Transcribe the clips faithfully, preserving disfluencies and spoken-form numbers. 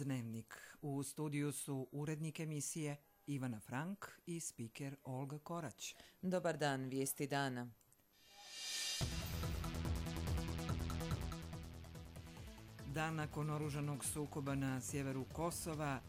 Dnevnik. U studiju su urednik emisije Ivana Frank i spiker Olga Korać. Dobar dan, vijesti dana. Dan nakon oružanog sukoba na sjeveru Kosova,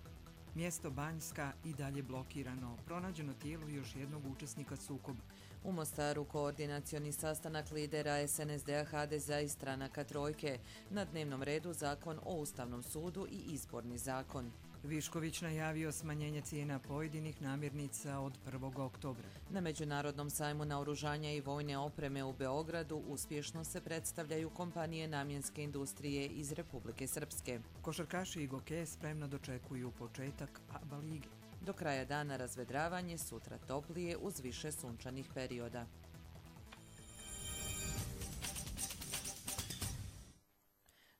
mjesto Banjska i dalje blokirano. Pronađeno tijelo još jednog učesnika sukoba. U Mostaru koordinacioni sastanak lidera es en es de a, ha de ze a i stranaka Trojke. Na dnevnom redu zakon o Ustavnom sudu i izborni zakon. Višković najavio smanjenje cijena pojedinih namirnica od prvog oktobra. Na Međunarodnom sajmu naoružanja i vojne opreme u Beogradu uspješno se predstavljaju kompanije namjenske industrije iz Republike Srpske. Košarkaši i gokeje spremno dočekuju početak A B A lige. Do kraja dana razvedravanje, sutra toplije uz više sunčanih perioda.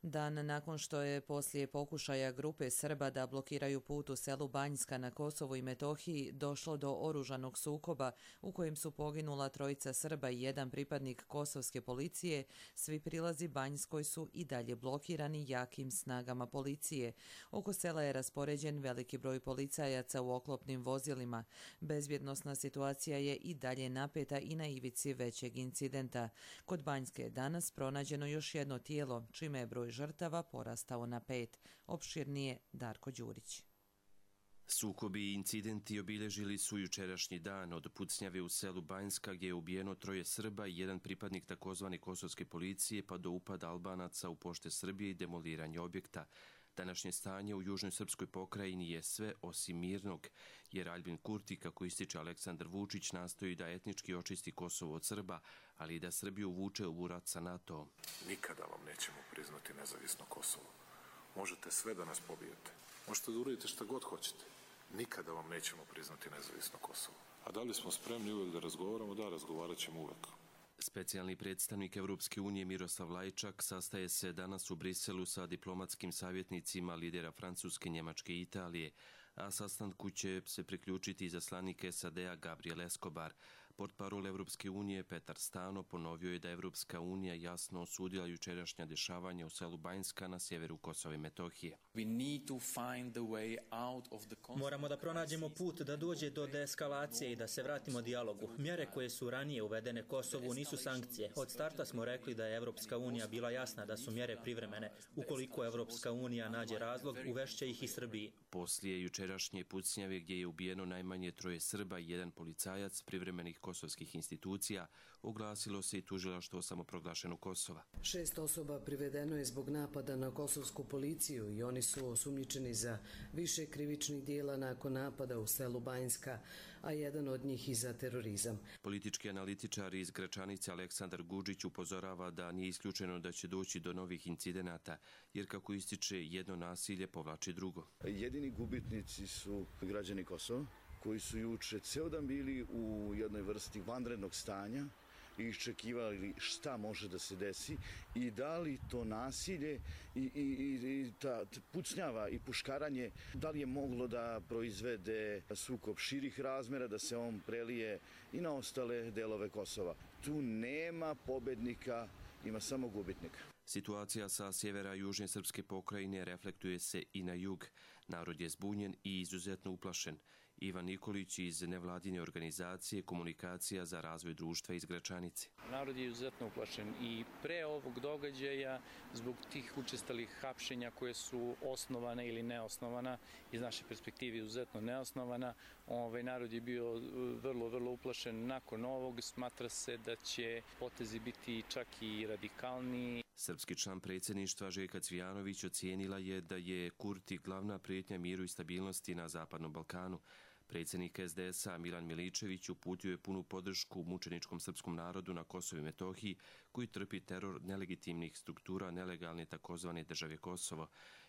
Dan nakon što je poslije pokušaja grupe Srba da blokiraju put u selu Banjska na Kosovu i Metohiji došlo do oružanog sukoba u kojem su poginula trojica Srba i jedan pripadnik kosovske policije, svi prilazi Banjskoj su i dalje blokirani jakim snagama policije. Oko sela je raspoređen veliki broj policajaca u oklopnim vozilima. Bezbjednosna situacija je i dalje napeta i na ivici većeg incidenta. Kod Banjske je danas pronađeno još jedno tijelo, čime je broj žrtava porastao na pet. Opširnije Darko Đurić. Sukobi i incidenti obilježili su jučerašnji dan od pucnjave u selu Banjska gdje je ubijeno troje Srba i jedan pripadnik takozvane kosovske policije pa do upada Albanaca u pošte Srbije i demoliranje objekta. Današnje stanje u južnoj srpskoj pokrajini je sve osim mirnog, jer Aljbin Kurti, kako ističe Aleksandar Vučić, nastoji da etnički očisti Kosovo od Srba, ali i da Srbiju uvuče u rat sa NATO-om. Nikada vam nećemo priznati nezavisno Kosovo. Možete sve da nas pobijete. Možete da uradite šta god hoćete. Nikada vam nećemo priznati nezavisno Kosovo. A da li smo spremni uvek da razgovaramo? Da, razgovarat ćemo uvek. Specijalni predstavnik Evropske unije Miroslav Lajčak sastaje se danas u Briselu sa diplomatskim savjetnicima lidera Francuske, Njemačke i Italije, a sastanku će se priključiti izaslanik es a de a Gabriel Escobar. Portparol Evropske unije Petar Stano ponovio je da Evropska unija jasno osudila jučerašnja dešavanja u selu Banjska na sjeveru Kosova i Metohije. Moramo da pronađemo put da dođe do deeskalacije i da se vratimo dijalogu. Mjere koje su ranije uvedene Kosovu nisu sankcije. Od starta smo rekli da je Evropska unija bila jasna da su mjere privremene. Ukoliko Evropska unija nađe razlog, uvešće ih i Srbiji. Poslije jučerašnje pucnjave gdje je ubijeno najmanje troje Srba i jedan policajac privremenih kosovskih institucija, oglasilo se i tužilaštvo samoproglašenog Kosova. Šest osoba privedeno je zbog napada na kosovsku policiju i oni su osumnjičeni za više krivičnih dijela nakon napada u selu Banjska, a jedan od njih i za terorizam. Politički analitičar iz Gračanice Aleksandar Gudžić upozorava da nije isključeno da će doći do novih incidenata, jer kako ističe jedno nasilje povlači drugo. Jedini gubitnici su građani Kosova, koji su juče ceo dan bili u jednoj vrsti vanrednog stanja i iščekivali šta može da se desi i da li to nasilje i, i, i ta pucnjava i puškaranje, da li je moglo da proizvede sukob širih razmera, da se on prelije i na ostale delove Kosova. Tu nema pobednika, ima samo gubitnika. Situacija sa sjevera južne srpske pokrajine reflektuje se i na jug. Narod je zbunjen i izuzetno uplašen. Ivan Nikolić iz nevladine organizacije Komunikacija za razvoj društva iz Gračanice. Narod je izuzetno uplašen i pre ovog događaja zbog tih učestalih hapšenja koje su osnovana ili neosnovana, iz naše perspektive izuzetno neosnovana. Ovaj narod je bio vrlo, vrlo uplašen. Nakon ovog smatra se da će potezi biti čak i radikalniji. Srpski član predsjedništva Željka Cvijanović ocijenila je da je Kurti glavna prijetnja miru i stabilnosti na Zapadnom Balkanu. Predsjednik es de es a Milan Miličević uputio je punu podršku mučeničkom srpskom narodu na Kosovu i Metohiji koji trpi teror nelegitimnih struktura nelegalne takozvane države Kosovo.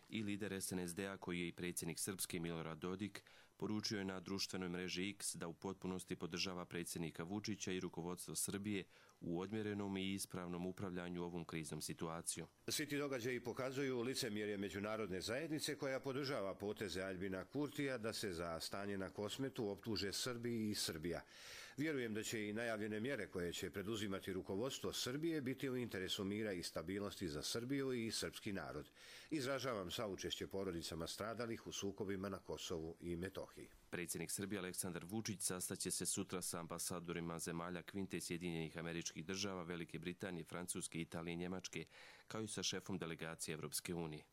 I lider es en es de a koji je i predsjednik Srpske Milorad Dodik poručio je na društvenoj mreži X da u potpunosti podržava predsjednika Vučića i rukovodstvo Srbije u odmjerenom i ispravnom upravljanju ovom kriznom situacijom. Svi ti događaji pokazuju licemjerje međunarodne zajednice koja podržava poteze Aljbina Kurtija da se za stanje na Kosmetu optuže Srbiji i Srbija. Vjerujem da će i najavljene mjere koje će preduzimati rukovodstvo Srbije biti u interesu mira i stabilnosti za Srbiju i srpski narod. Izražavam saučešće porodicama stradalih u sukobima na Kosovu i Metohiji. Predsjednik Srbije Aleksandar Vučić sastaće se sutra sa ambasadorima zemalja Kvinte Sjedinjenih Američkih Država, Velike Britanije, Francuske, Italije i Njemačke, kao i sa šefom delegacije Evropske unije.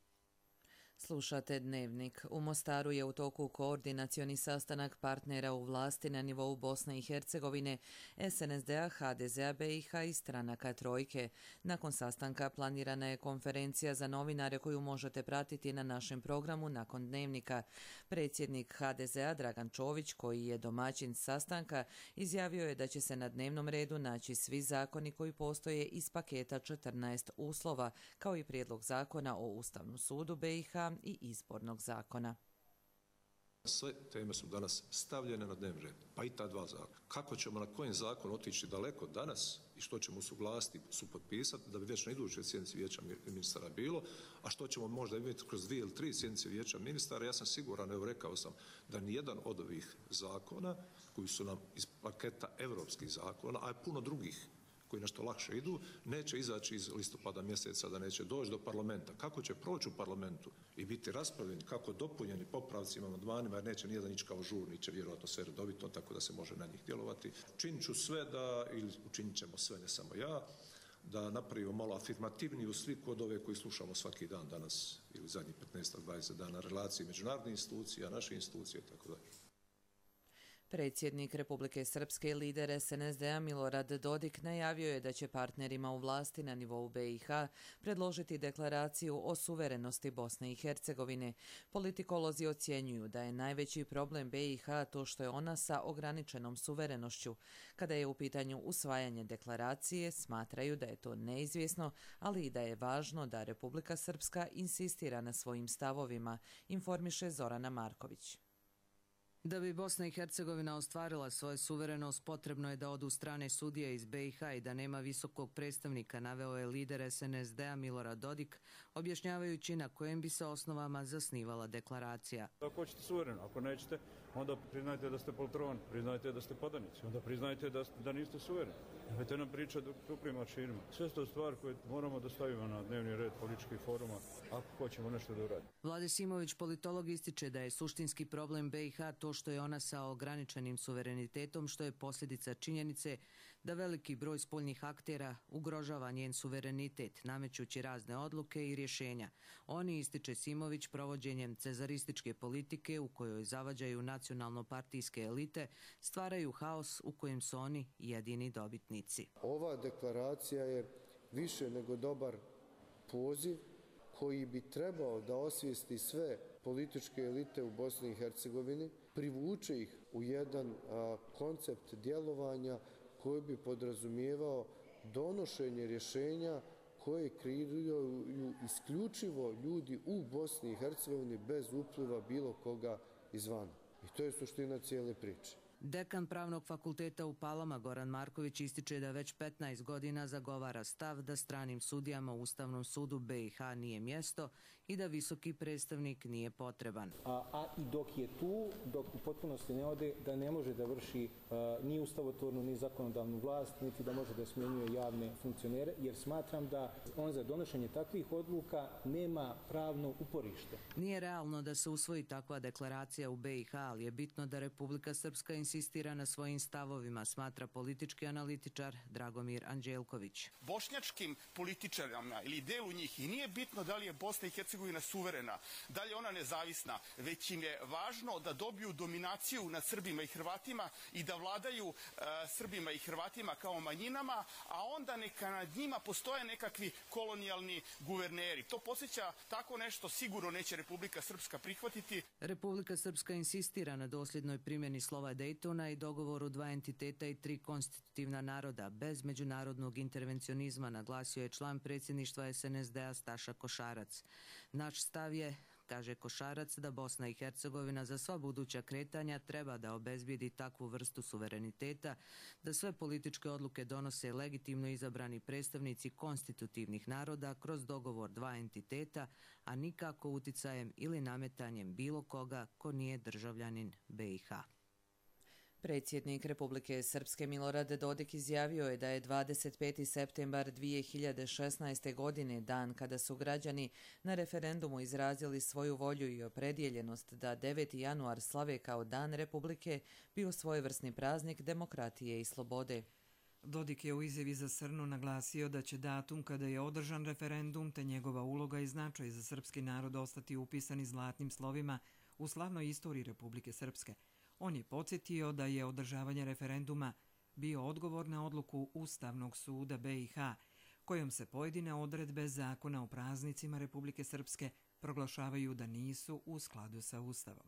Slušate Dnevnik. U Mostaru je u toku koordinacioni sastanak partnera u vlasti na nivou Bosne i Hercegovine, es en es de a, ha de ze a be i ha i stranaka Trojke. Nakon sastanka planirana je konferencija za novinare koju možete pratiti na našem programu nakon Dnevnika. Predsjednik ha de ze a Dragan Čović, koji je domaćin sastanka, izjavio je da će se na dnevnom redu naći svi zakoni koji postoje iz paketa četrnaest uslova, kao i prijedlog zakona o Ustavnom sudu be i ha i izbornog zakona. Sve teme su danas stavljene na dnevni red, pa i ta dva zakona. Kako ćemo na kojem zakonu otići daleko danas i što ćemo usuglasiti, supotpisati da bi već na idućoj sjednici vijeća ministara bilo, a što ćemo možda imati kroz dvije ili tri sjednice vijeća ministara, ja sam siguran, evo rekao sam, da nijedan od ovih zakona koji su nam iz paketa evropskih zakona, a je puno drugih koji nešto lakše idu, neće izaći iz listopada mjeseca, da neće doći do parlamenta. Kako će proći u parlamentu i biti raspravljeni, kako dopunjeni popravcima, amandmanima, jer neće nijedan ići kao žurni, će vjerojatno sve redovito, tako da se može na njih djelovati. Učinit ću sve da, ili učinit ćemo sve, ne samo ja, da napravimo malo afirmativniju sliku od ove koji slušamo svaki dan danas ili zadnjih petnaest do dvadeset dana, relacije međunarodnih institucija, naše institucije, tako dalje. Predsjednik Republike Srpske i lider es en es de a Milorad Dodik najavio je da će partnerima u vlasti na nivou be i ha predložiti deklaraciju o suverenosti Bosne i Hercegovine. Politikolozi ocjenjuju da je najveći problem be i ha to što je ona sa ograničenom suverenošću. Kada je u pitanju usvajanje deklaracije, smatraju da je to neizvjesno, ali i da je važno da Republika Srpska insistira na svojim stavovima, informiše Zorana Marković. Da bi Bosna i Hercegovina ostvarila svoju suverenost, potrebno je da odu strane sudije iz be i ha i da nema visokog predstavnika, naveo je lider es en es de a Milorad Dodik, objašnjavajući na kojem bi se osnovama zasnivala deklaracija. Ako hoćete suvereno, ako nećete, onda priznajte da ste poltron, priznajte da ste podanici, onda priznajte da, da niste suvereni. Nemojte nam pričati tuplim aršinima. Sve to stvar koje moramo da stavimo na dnevni red političkih foruma ako hoćemo nešto da uradimo. Vlade Simović, politolog, ističe da je suštinski problem be i ha to što je ona sa ograničenim suverenitetom, što je posljedica činjenice da veliki broj spoljnih aktera ugrožava njen suverenitet, namećući razne odluke i rješenja. Oni, ističe Simović, provođenjem cezarističke politike u kojoj zavađaju nacionalno-partijske elite, stvaraju haos u kojem su oni jedini dobitnici. Ova deklaracija je više nego dobar poziv koji bi trebao da osvijesti sve političke elite u Bosni i Hercegovini, privuče ih u jedan a, koncept djelovanja koji bi podrazumijevao donošenje rješenja koje kreiraju isključivo ljudi u Bosni i Hercegovini bez upliva bilo koga izvana. I to je suština cijele priče. Dekan Pravnog fakulteta u Palama Goran Marković ističe da već petnaest godina zagovara stav da stranim sudijama u Ustavnom sudu be i ha nije mjesto i da visoki predstavnik nije potreban. A, a i dok je tu, dok u potpunosti ne ode, da ne može da vrši a, ni ustavotvornu ni zakonodavnu vlast, niti da može da smjenjuje javne funkcionere, jer smatram da on za donošenje takvih odluka nema pravno uporište. Nije realno da se usvoji takva deklaracija u be i ha, ali je bitno da Republika Srpska insistira na svojim stavovima, smatra politički analitičar Dragomir Anđelković. Bošnjačkim političarima ili delu njih i nije bitno da li je Bosna i Hercegovina suverena, da li je ona nezavisna, već im je važno da dobiju dominaciju nad Srbima i Hrvatima i da vladaju uh, Srbima i Hrvatima kao manjinama, a onda neka nad njima postoje nekakvi kolonijalni guverneri. To posjeća tako nešto sigurno neće Republika Srpska prihvatiti. Republika Srpska insistira na dosljednoj primjeni slova Dejtona i dogovoru dva entiteta i tri konstitutivna naroda bez međunarodnog intervencionizma, naglasio je član predsjedništva es en es de a Staša Košarac. Naš stav je Kaže Košarac da Bosna i Hercegovina za sva buduća kretanja treba da obezbijedi takvu vrstu suvereniteta, da sve političke odluke donose legitimno izabrani predstavnici konstitutivnih naroda kroz dogovor dva entiteta, a nikako uticajem ili nametanjem bilo koga ko nije državljanin be i ha. Predsjednik Republike Srpske Milorad Dodik izjavio je da je dvadeset peti septembar dvije hiljade šesnaeste. godine dan kada su građani na referendumu izrazili svoju volju i opredjeljenost da deveti januar slave kao Dan Republike bio svojevrsni praznik demokratije i slobode. Dodik je u izjavi za Srnu naglasio da će datum kada je održan referendum te njegova uloga i značaj za srpski narod ostati upisani zlatnim slovima u slavnoj istoriji Republike Srpske. On je podsjetio da je održavanje referenduma bio odgovor na odluku Ustavnog suda be i ha, kojom se pojedine odredbe zakona o praznicima Republike Srpske proglašavaju da nisu u skladu sa Ustavom.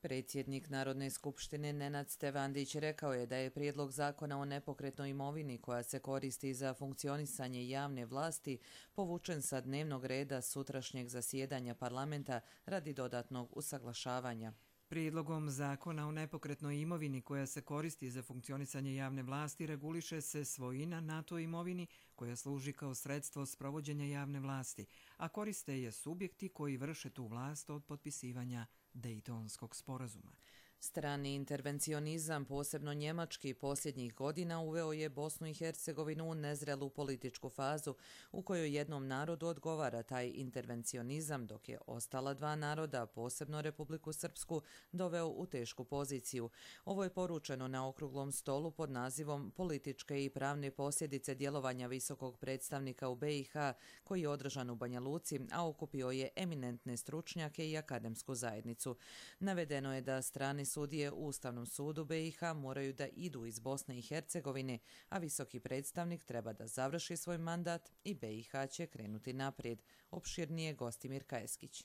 Predsjednik Narodne skupštine Nenad Stevandić rekao je da je prijedlog zakona o nepokretnoj imovini koja se koristi za funkcionisanje javne vlasti povučen sa dnevnog reda sutrašnjeg zasjedanja parlamenta radi dodatnog usaglašavanja. Prijedlogom zakona o nepokretnoj imovini koja se koristi za funkcionisanje javne vlasti reguliše se svojina na toj imovini koja služi kao sredstvo sprovođenja javne vlasti, a koriste je subjekti koji vrše tu vlast od potpisivanja Dejtonskog sporazuma. Strani intervencionizam, posebno njemački, posljednjih godina uveo je Bosnu i Hercegovinu u nezrelu političku fazu u kojoj jednom narodu odgovara taj intervencionizam, dok je ostala dva naroda, posebno Republiku Srpsku, doveo u tešku poziciju. Ovo je poručeno na okruglom stolu pod nazivom Političke i pravne posljedice djelovanja visokog predstavnika u be i ha, koji je održan u Banja Luci, a okupio je eminentne stručnjake i akademsku zajednicu. Navedeno je da strani sudije u Ustavnom sudu be i ha moraju da idu iz Bosne i Hercegovine, a visoki predstavnik treba da završi svoj mandat i be i ha će krenuti naprijed. Opširnije Gostimir Kajeskić.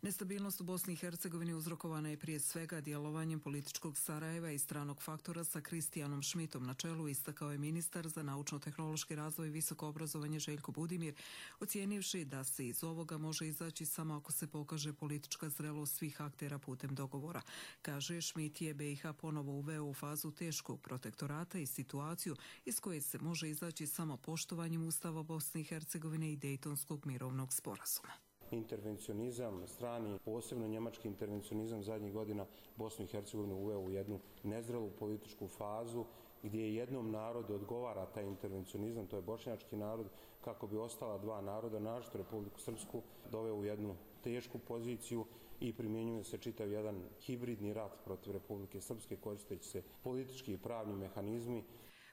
Nestabilnost u Bosni i Hercegovini uzrokovana je prije svega djelovanjem političkog Sarajeva i stranog faktora sa Kristijanom Šmitom na čelu, istakao je ministar za naučno-tehnološki razvoj i visoko obrazovanje Željko Budimir, ocijenivši da se iz ovoga može izaći samo ako se pokaže politička zrelost svih aktera putem dogovora. Kaže, Šmit je be i ha ponovo uveo u fazu teškog protektorata i situaciju iz koje se može izaći samo poštovanjem Ustava Bosne i Hercegovine i Dejtonskog mirovnog sporazuma. Intervencionizam strani, posebno njemački intervencionizam zadnjih godina Bosnu i Hercegovinu uveo u jednu nezrelu političku fazu gdje jednom narodu odgovara taj intervencionizam, to je bošnjački narod, kako bi ostala dva naroda, naročito Republiku Srpsku, doveo u jednu tešku poziciju i primjenjuje se čitav jedan hibridni rat protiv Republike Srpske koristeći se politički i pravni mehanizmi.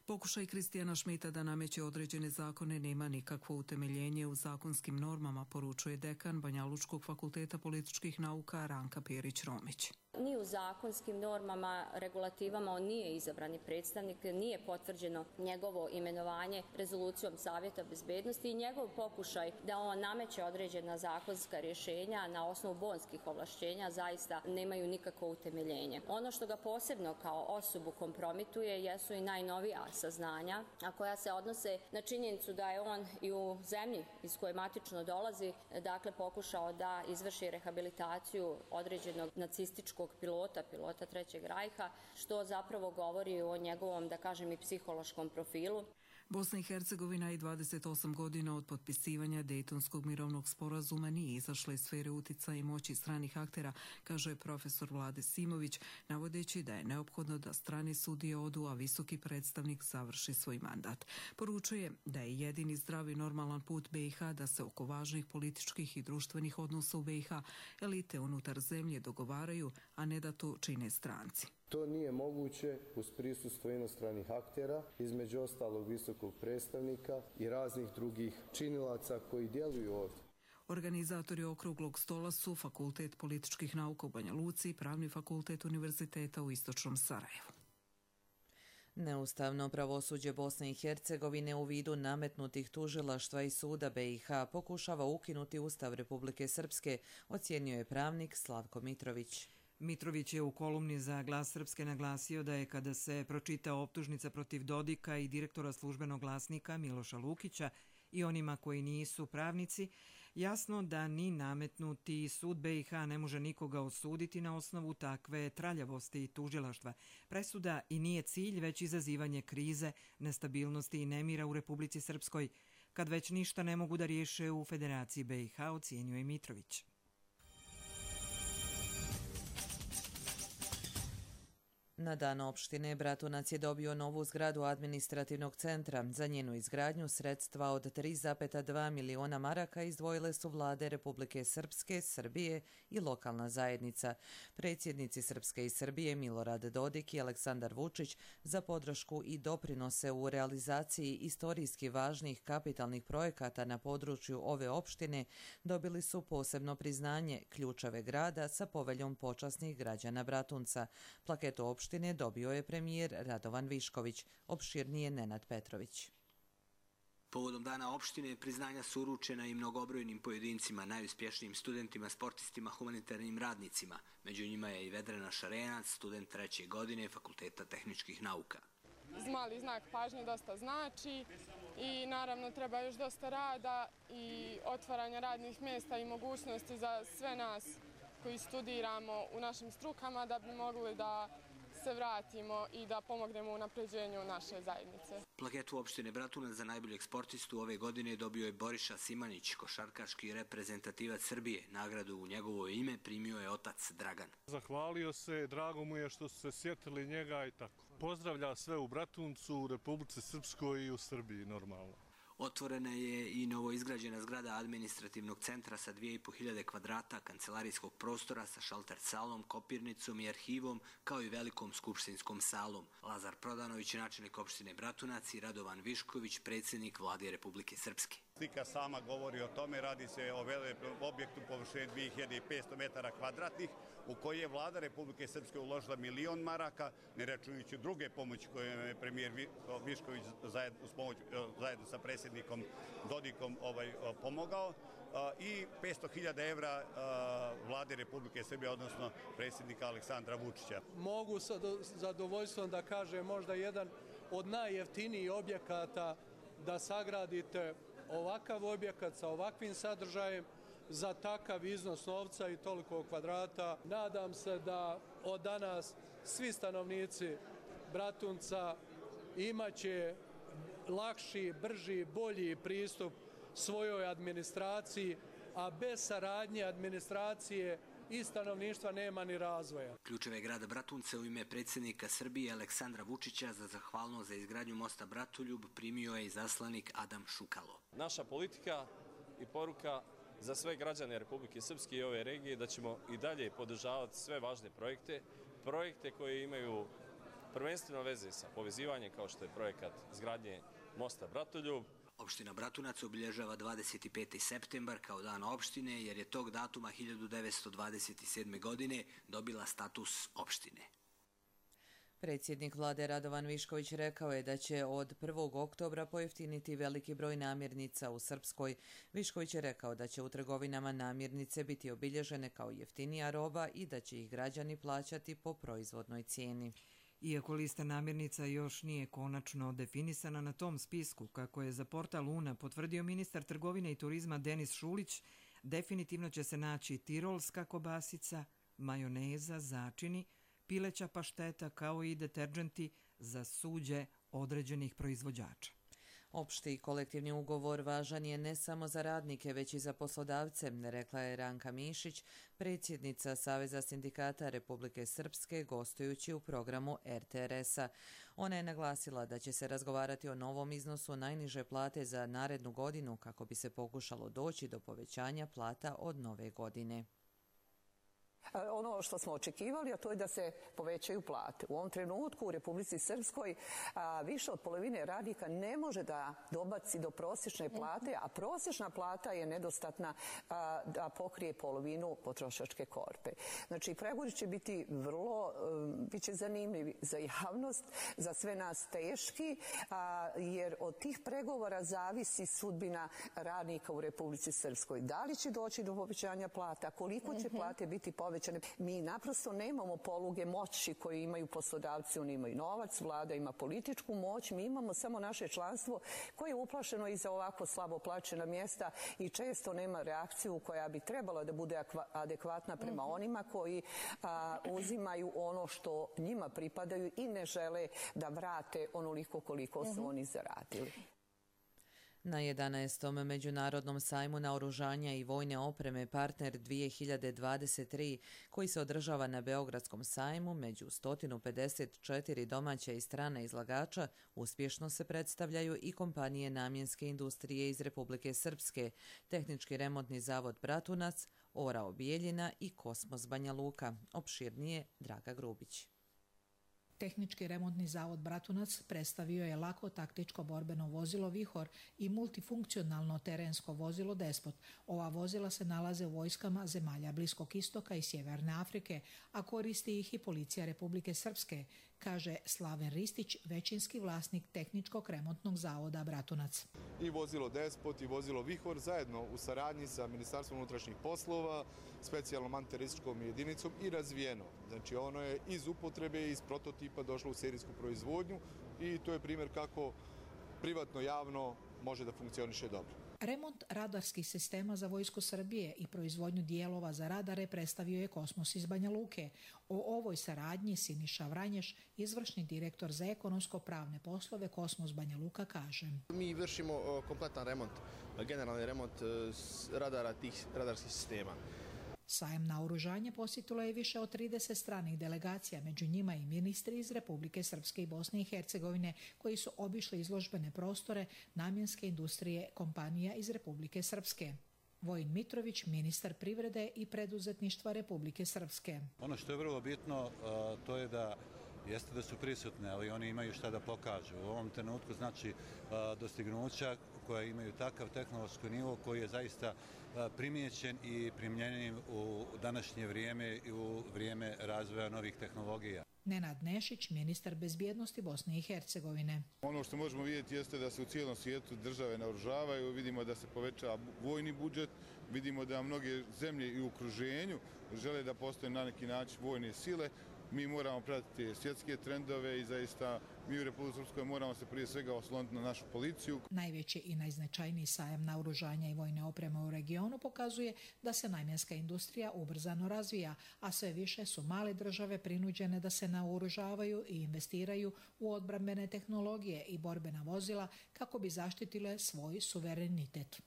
Pokušaj Kristijana Šmita da nameće određene zakone nema nikakvo utemeljenje u zakonskim normama, poručuje dekan Banjalučkog fakulteta političkih nauka Ranka Pjerić-Romić. Ni u zakonskim normama, regulativama on nije izabrani predstavnik, nije potvrđeno njegovo imenovanje rezolucijom Savjeta bezbednosti i njegov pokušaj da on nameće određena zakonska rješenja na osnovu bonskih ovlašćenja zaista nemaju nikakvo utemeljenje. Ono što ga posebno kao osobu kompromituje jesu i najnovija saznanja, a koja se odnose na činjenicu da je on i u zemlji iz koje matično dolazi, dakle pokušao da izvrši rehabilitaciju određenog nacističkog pilota, pilota Trećeg rajha, što zapravo govori o njegovom, da kažem, i psihološkom profilu. Bosna i Hercegovina i dvadeset osam godina od potpisivanja Dejtonskog mirovnog sporazuma nije izašla iz sfere uticaja i moći stranih aktera, kaže profesor Vlade Simović, navodeći da je neophodno da strane sudije odu, a visoki predstavnik završi svoj mandat. Poručuje da je jedini zdravi normalan put be i ha da se oko važnih političkih i društvenih odnosa u be i ha elite unutar zemlje dogovaraju, a ne da to čine stranci. To nije moguće uz prisustvo inostranih aktera, između ostalog visokog predstavnika i raznih drugih činilaca koji djeluju ovdje. Organizatori okruglog stola su Fakultet političkih nauka u Banja Luci i Pravni fakultet Univerziteta u Istočnom Sarajevu. Neustavno pravosuđe Bosne i Hercegovine u vidu nametnutih tužilaštva i suda be i ha pokušava ukinuti Ustav Republike Srpske, ocijenio je pravnik Slavko Mitrović. Mitrović je u kolumni za Glas Srpske naglasio da je kada se pročita optužnica protiv Dodika i direktora službenog glasnika Miloša Lukića i onima koji nisu pravnici, Jasno da ni nametnuti sud be i ha ne može nikoga osuditi na osnovu takve traljavosti i tužilaštva. Presuda i nije cilj, već izazivanje krize, nestabilnosti i nemira u Republici Srpskoj, kad već ništa ne mogu da riješe u Federaciji be i ha, ocjenjuje Mitrović. Na dan opštine Bratunac je dobio novu zgradu administrativnog centra. Za njenu izgradnju sredstva od tri zarez dva miliona maraka izdvojile su vlade Republike Srpske, Srbije i lokalna zajednica. Predsjednici Srpske i Srbije Milorad Dodik i Aleksandar Vučić za podršku i doprinose u realizaciji istorijski važnih kapitalnih projekata na području ove opštine dobili su posebno priznanje ključeve grada sa poveljom počasnih građana Bratunca. Plaketu opštine dobio je premijer Radovan Višković, opširnije Nenad Petrović. Povodom dana opštine priznanja su uručena i mnogobrojnim pojedincima, najuspješnijim studentima, sportistima, humanitarnim radnicima. Među njima je i Vedrana Šarenac, student treće godine Fakulteta tehničkih nauka. Mali znak pažnje dosta znači i naravno treba još dosta rada i otvaranja radnih mjesta i mogućnosti za sve nas koji studiramo u našim strukama da bi mogli da se vratimo i da pomognemo u napređenju naše zajednice. Plaketu opštine Bratunac za najboljeg sportistu ove godine dobio je Boriša Simanić, košarkaški reprezentativac Srbije. Nagradu u njegovo ime primio je otac Dragan. Zahvalio se, drago mu je što su se sjetili njega i tako. Pozdravlja sve u Bratuncu, u Republici Srpskoj i u Srbiji normalno. Otvorena je i novoizgrađena zgrada administrativnog centra sa dvije i po hiljade kvadrata kancelarijskog prostora sa šalter salom, kopirnicom i arhivom, kao i velikom skupštinskom salom. Lazar Prodanović, načelnik opštine Bratunac, i Radovan Višković, predsjednik vlade Republike Srpske. Slika sama govori o tome, radi se o velikom objektu površine dvije hiljade petsto metara kvadratnih, u koji je vlada Republike Srpske uložila milion maraka, ne računajući druge pomoći koje je premijer Višković zajedno sa predsjednikom Dodikom pomogao, i petsto hiljada evra vlade Republike Srbije, odnosno predsjednika Aleksandra Vučića. Mogu sa zadovoljstvom da kažem možda jedan od najjeftinijih objekata da sagradite ovakav objekat sa ovakvim sadržajem za takav iznos novca i toliko kvadrata. Nadam se da od danas svi stanovnici Bratunca imaće lakši, brži, bolji pristup svojoj administraciji, a bez saradnje administracije i stanovništva nema ni razvoja. Ključeve grada Bratunca u ime predsjednika Srbije Aleksandra Vučića za zahvalnost za izgradnju mosta Bratoljub primio je i zaslanik Adam Šukalo. Naša politika i poruka za sve građane Republike Srpske i ove regije da ćemo i dalje podržavati sve važne projekte, projekte koje imaju prvenstveno veze sa povezivanjem, kao što je projekat izgradnje mosta Bratoljub. Opština Bratunac obilježava dvadeset peti septembar kao dan opštine, jer je tog datuma hiljadu devetsto dvadeset sedme. godine dobila status opštine. Predsjednik vlade Radovan Višković rekao je da će od prvog oktobra pojeftiniti veliki broj namirnica u Srpskoj. Višković je rekao da će u trgovinama namirnice biti obilježene kao jeftinija roba i da će ih građani plaćati po proizvodnoj cijeni. Iako lista namirnica još nije konačno definisana na tom spisku, kako je za portal Una potvrdio ministar trgovine i turizma Denis Šulić, definitivno će se naći tirolska kobasica, majoneza, začini, pileća pašteta kao i deterdženti za suđe određenih proizvođača. Opšti kolektivni ugovor važan je ne samo za radnike, već i za poslodavce, rekla je Ranka Mišić, predsjednica Saveza sindikata Republike Srpske, gostujući u programu er te er es-a. Ona je naglasila da će se razgovarati o novom iznosu najniže plate za narednu godinu kako bi se pokušalo doći do povećanja plata od nove godine. Ono što smo očekivali, a to je da se povećaju plate. U ovom trenutku u Republici Srpskoj više od polovine radnika ne može da dobaci do prosječne plate, a prosječna plata je nedostatna da pokrije polovinu potrošačke korpe. Znači, pregovori će biti vrlo, biće zanimljivi za javnost, za sve nas teški, a, jer od tih pregovora zavisi sudbina radnika u Republici Srpskoj. Da li će doći do povećanja plata, koliko će plate biti povećane? Mi naprosto nemamo poluge moći koje imaju poslodavci, oni imaju novac, vlada ima političku moć, mi imamo samo naše članstvo koje je uplašeno i za ovako slabo plaćena mjesta i često nema reakciju koja bi trebala da bude adekvatna prema onima koji a, uzimaju ono što njima pripadaju i ne žele da vrate onoliko koliko su oni zaradili. Na jedanaestom Međunarodnom sajmu naoružanja i vojne opreme Partner dvije hiljade dvadeset tri, koji se održava na Beogradskom sajmu, među sto pedeset četiri domaća i strana izlagača uspješno se predstavljaju i kompanije namjenske industrije iz Republike Srpske, Tehnički remontni zavod Bratunac, Orao Bijeljina i Kosmos Banja Luka. Opširnije Draga Grubić. Tehnički remontni zavod Bratunac predstavio je lako taktičko borbeno vozilo Vihor i multifunkcionalno terensko vozilo Despot. Ova vozila se nalaze u vojskama zemalja Bliskog istoka i Sjeverne Afrike, a koristi ih i policija Republike Srpske, kaže Slaven Ristić, većinski vlasnik Tehničkog remontnog zavoda Bratunac. I vozilo Despot i vozilo Vihor zajedno u saradnji sa Ministarstvom unutrašnjih poslova, specijalnom antiterorističkom jedinicom i razvijeno. Znači ono je iz upotrebe, iz prototipa došlo u serijsku proizvodnju i to je primjer kako privatno javno može da funkcioniše dobro. Remont radarskih sistema za Vojsku Srbije i proizvodnju dijelova za radare predstavio je Kosmos iz Banja Luke. O ovoj saradnji Siniša Vranješ, izvršni direktor za ekonomsko-pravne poslove Kosmos Banja Luka, kaže. Mi vršimo kompletan remont, generalni remont radara tih radarskih sistema. Sajam naoružanja posjetilo je više od trideset stranih delegacija, među njima i ministri iz Republike Srpske i Bosne i Hercegovine, koji su obišli izložbene prostore namjenske industrije kompanija iz Republike Srpske. Vojin Mitrović, ministar privrede i preduzetništva Republike Srpske. Ono što je vrlo bitno, to je da jeste da su prisutne, ali oni imaju šta da pokažu. U ovom trenutku znači dostignuća koja imaju takav tehnološki nivo koji je zaista primijećen i primjenjen u današnje vrijeme i u vrijeme razvoja novih tehnologija. Nenad Nešić, ministar bezbjednosti Bosne i Hercegovine. Ono što možemo vidjeti jeste da se u cijelom svijetu države naoružavaju, vidimo da se povećava vojni budžet, vidimo da mnoge zemlje i u okruženju žele da postoje na neki način vojne sile. Mi moramo pratiti svjetske trendove i zaista mi u Republici Srpskoj moramo se prije svega osloniti na našu policiju. Najveći i najznačajniji sajam naoružanja i vojne opreme u regionu pokazuje da se namjenska industrija ubrzano razvija, a sve više su male države prinuđene da se naoružavaju i investiraju u odbrambene tehnologije i borbena vozila kako bi zaštitile svoj suverenitet.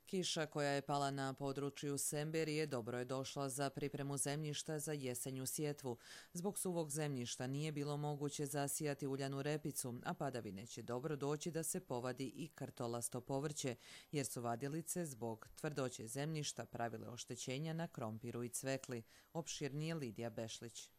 Kiša koja je pala na području Semberije dobro je došla za pripremu zemljišta za jesenju sjetvu. Zbog suvog zemljišta nije bilo moguće zasijati uljanu repicu, a padavine će dobro doći da se povadi i kartolasto povrće, jer su vadilice zbog tvrdoće zemljišta pravile oštećenja na krompiru i cvekli. Opširnije Lidija Bešlić.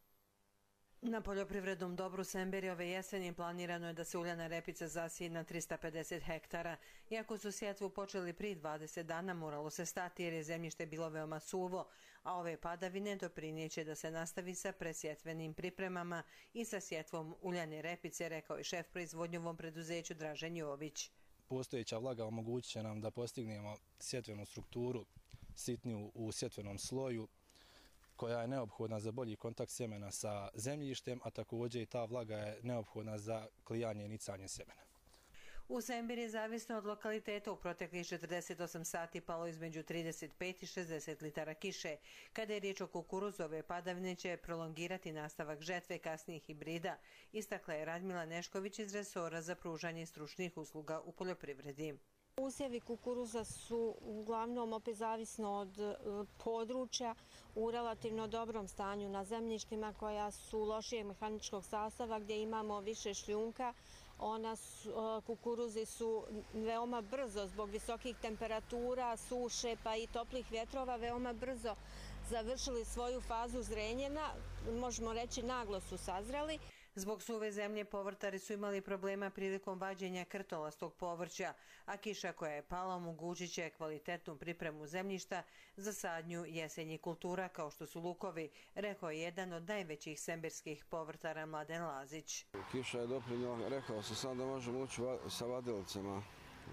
Na poljoprivrednom dobru Semberije ove jeseni planirano je da se uljana repica zasije na trista pedeset hektara. Iako su sjetvu počeli prije dvadeset dana, moralo se stati jer je zemljište bilo veoma suvo, a ove padavine doprinijeće da se nastavi sa presjetvenim pripremama i sa sjetvom uljane repice, rekao je šef proizvodnjovom preduzeću Dražen Jović. Postojeća vlaga omogućit će nam da postignemo sjetvenu strukturu sitniju u sjetvenom sloju, koja je neophodna za bolji kontakt sjemena sa zemljištem, a također i ta vlaga je neophodna za klijanje i nicanje sjemena. U Semberiji, zavisno od lokaliteta, u proteklih četrdeset osam sati palo između trideset pet i šezdeset litara kiše. Kada je riječ o kukuruzu, ove padavine će prolongirati nastavak žetve kasnijih hibrida, istakla je Radmila Nešković iz resora za pružanje stručnih usluga u poljoprivredi. Usjevi kukuruza su uglavnom opet zavisno od područja u relativno dobrom stanju na zemljištima koja su lošijeg mehaničkog sastava gdje imamo više šljunka. Ona su, kukuruzi su veoma brzo zbog visokih temperatura, suše pa i toplih vjetrova veoma brzo završili svoju fazu zrenjena, možemo reći naglo su sazreli. Zbog suve zemlje povrtari su imali problema prilikom vađenja krtolastog povrća, a kiša koja je pala omogućit će kvalitetnu pripremu zemljišta za sadnju jesenjih kultura kao što su lukovi, rekao je jedan od najvećih semberskih povrtara Mladen Lazić. Kiša je doprinjela, rekao sam sam da možemo ući sa vadilicama,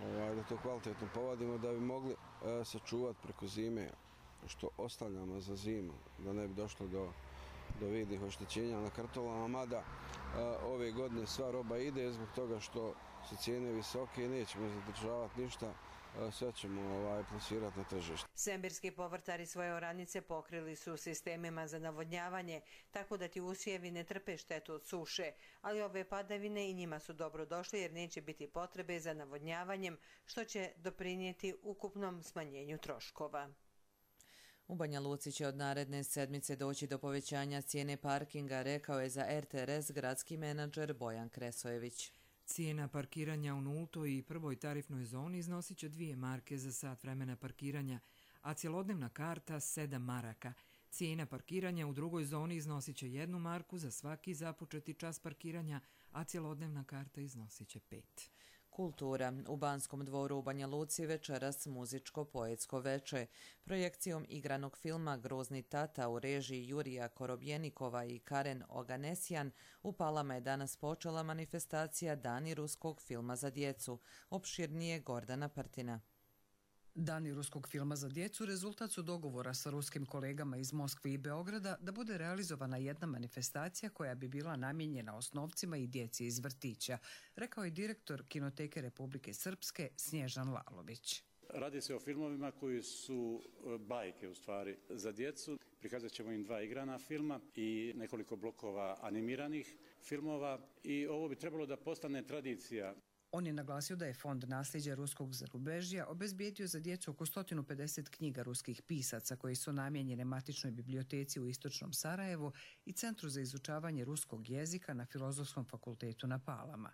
ovaj, da to kvalitetno povadimo da bi mogli e, sačuvati preko zime što ostavljamo za zimu, da ne bi došlo do, do vidnih oštećenja na kartolama, mada e, ove godine sva roba ide zbog toga što su cijene visoke i nećemo zadržavati ništa, sve ćemo ovaj, plasirati na tržište. Semberski povrtari svoje oranice pokrili su sistemima za navodnjavanje, tako da ti usjevi ne trpe štetu od suše, ali ove padavine i njima su dobro došle jer neće biti potrebe za navodnjavanjem, što će doprinijeti ukupnom smanjenju troškova. U Banja Luci će od naredne sedmice doći do povećanja cijene parkinga, rekao je za R T R S gradski menadžer Bojan Kresojević. Cijena parkiranja u nultoj i prvoj tarifnoj zoni iznosit će dvije marke za sat vremena parkiranja, a cjelodnevna karta sedam maraka. Cijena parkiranja u drugoj zoni iznosit će jednu marku za svaki započeti čas parkiranja, a cjelodnevna karta iznosit će pet. Kultura. U Banskom dvoru u Banja Luci večeras muzičko-poetsko veče. Projekcijom igranog filma Grozni tata u režiji Jurija Korobjenikova i Karen Oganesjan u Palama je danas počela manifestacija Dani ruskog filma za djecu. Opširnije Gordana Partina. Dani ruskog filma za djecu rezultat su dogovora sa ruskim kolegama iz Moskve i Beograda da bude realizovana jedna manifestacija koja bi bila namijenjena osnovcima i djeci iz vrtića, rekao je direktor Kinoteke Republike Srpske Snježan Lalović. Radi se o filmovima koji su bajke u stvari za djecu. Prikazat ćemo im dva igrana filma i nekoliko blokova animiranih filmova i ovo bi trebalo da postane tradicija. On je naglasio da je Fond nasljeđa ruskog zarubežja obezbijedio za djecu oko sto pedeset knjiga ruskih pisaca koji su namijenjene matičnoj biblioteci u Istočnom Sarajevu i Centru za izučavanje ruskog jezika na Filozofskom fakultetu na Palama.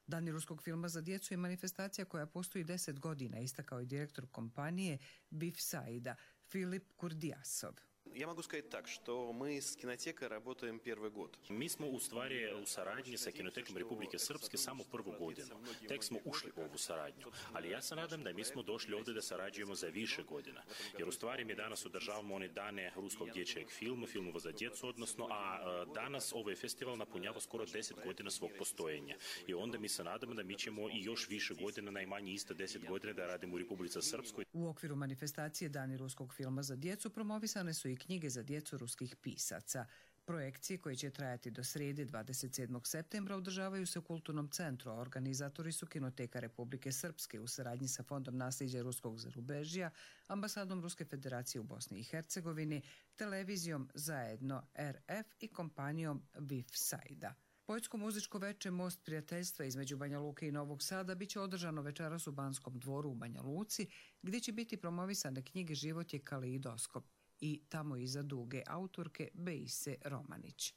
Dani ruskog filma za djecu je manifestacija koja postoji deset godina, istakao je direktor kompanije Bif Saida Filip Kurdijasov. Я могу сказать так, что мы с кинотекой работаем первый год. Mi smo u stvari u saradnji sa Kinotekom Republike Srpske samo prvu godinu. Tek smo ušli u ovu saradnju. Ali ja se nadam da mi smo došli ovdje da sarađujemo za više godina. Jer u stvari mi danas održavamo one dane ruskog dječjeg filma, filmova za djecu, odnosno, a danas ovaj festival napunjava skoro deset godina svog postojenja. I onda mi se nadamo da mi ćemo i još više godina, najmanje isto deset godina da radimo u Republici Srpskoj. U okviru manifestacije Dani ruskog filma za djecu promovisane su i knjige za djecu ruskih pisaca. Projekcije koje će trajati do srijede dvadeset sedmog septembra održavaju se u Kulturnom centru, a organizatori su Kinoteka Republike Srpske u saradnji sa Fondom nasljeđa ruskog zarubežja, ambasadom Ruske federacije u Bosni i Hercegovini, televizijom Zajedno R F i kompanijom Bif Saida. Poetsko-muzičko veče Most prijateljstva između Banja Luke i Novog Sada biće održano večeras u Banskom dvoru u Banja Luci, gdje će biti promovisane knjige Život je kaleidoskop i Tamo iza duge autorke Bejse Romanić.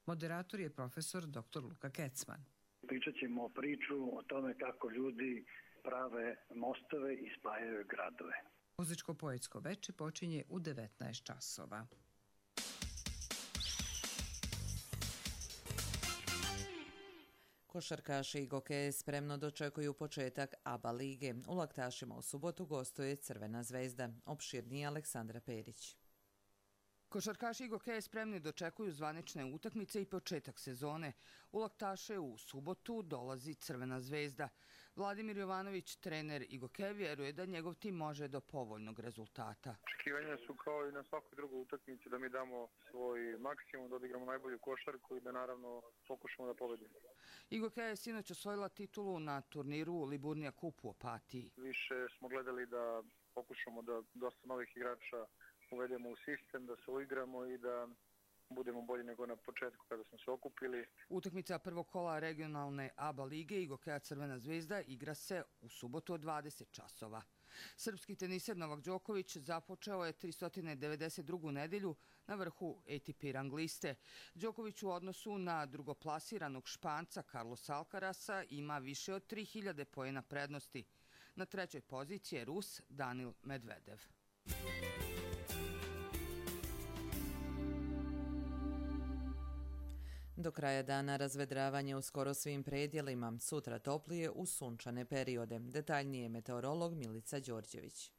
Moderator je profesor doktor Luka Kecman. Pričat ćemo priču o tome kako ljudi prave mostove i spajaju gradove. Muzičko-poetsko veče počinje u devetnaest časova. Košarkaši i gokeje spremno dočekuju početak A B A lige. U Laktašima u subotu gostuje Crvena zvezda. Opširnije Aleksandra Perić. Košarkaši i gokeje spremni dočekuju zvanične utakmice i početak sezone. U Laktaše u subotu dolazi Crvena zvezda. Vladimir Jovanović, trener i gokeje, vjeruje da njegov tim može do povoljnog rezultata. Očekivanja su kao i na svakoj drugoj utakmici da mi damo svoj maksimum, da odigramo najbolju košarku i da naravno pokušamo da pobedimo. I gokeja je sinoć osvojila titulu na turniru Liburnija Kup u Opatiji. Više smo gledali da pokušamo da dosta novih igrača uvedemo u sistem, da se uigramo i da budemo bolji nego na početku kada smo se okupili. Utakmica prvog kola regionalne A B A lige i gokeja Crvena zvezda igra se u subotu od dvadeset časova. Srpski teniser Novak Đoković započeo je tristo devedeset drugu nedelju na vrhu A T P rang liste. Đoković u odnosu na drugoplasiranog Španca Carlosa Alcarasa ima više od tri hiljade poena prednosti. Na trećoj poziciji je Rus Danil Medvedev. Do kraja dana razvedravanje u skoro svim predjelima, sutra toplije uz sunčane periode. Detaljnije meteorolog Milica Đorđević.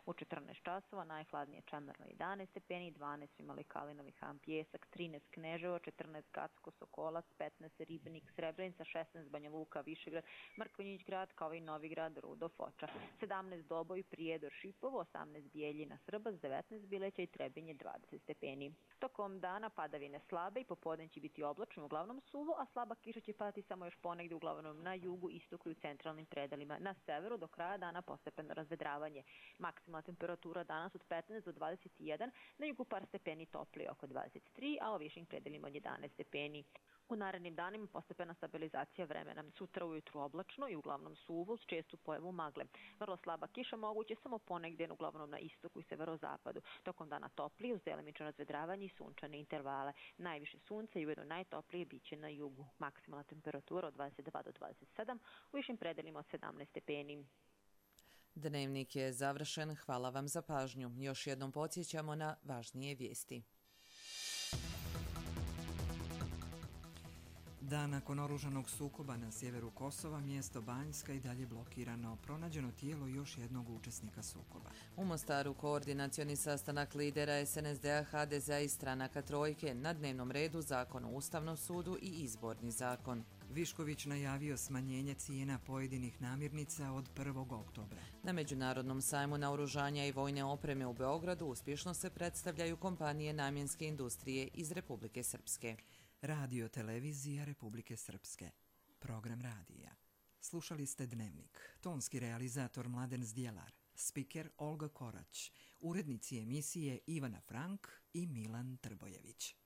U četrnaest časova najhladnije Čemerno jedanaest stepeni, dvanaest imali Kalinovi Han Pjesak, trinaest Kneževo, četrnaest Gacko Sokolac, petnaest Ribnik Srebrenica, šesnaest Banja Luka Višegrad, Mrkonjić Grad kao i Novigrad Rudo Foča, sedamnaest Doboj Prijedor Šipovo, osamnaest Bijeljina Srbac, devetnaest Bileća i Trebinje dvadeset stepeni. Tokom dana padavine slabe i popodne će biti oblačno, uglavnom suvo, a slaba kiša će padati samo još ponegde uglavnom na jugu, istoku i u centralnim predelima. Na severu do kraja dana postepeno razvedravanje. Maksimalna temperatura danas od petnaest do dvadeset jedan, na jugu par stepeni toplije oko dvadeset tri, a u višim predelima od jedanaest stepeni. U narednim danima postepena stabilizacija vremena. Sutra ujutru oblačno i uglavnom suvo s čestu pojavu magle. Vrlo slaba kiša moguće samo ponegdje uglavnom na istoku i severozapadu. Tokom dana toplije uz delimično razvedravanje i sunčane intervale. Najviše sunca i ujedno najtoplije biće na jugu. Maksimalna temperatura od dvadeset dva do dvadeset sedam, u višim predelima od sedamnaest stepeni. Dnevnik je završen. Hvala vam za pažnju. Još jednom podsjećamo na važnije vijesti. Dan nakon oružanog sukoba na sjeveru Kosova, mjesto Banjska i dalje blokirano. Pronađeno tijelo još jednog učesnika sukoba. U Mostaru koordinacioni sastanak lidera es en es de a, ha de ze a i stranaka Trojke. Na dnevnom redu Zakon o Ustavnom sudu i Izborni zakon. Višković najavio smanjenje cijena pojedinih namirnica od prvog oktobra. Na Međunarodnom sajmu naoružanja i vojne opreme u Beogradu uspješno se predstavljaju kompanije namjenske industrije iz Republike Srpske. Radio televizija Republike Srpske. Program radija. Slušali ste Dnevnik. Tonski realizator Mladen Zdjelar. Spiker Olga Korać. Urednici emisije Ivana Frank i Milan Trbojević.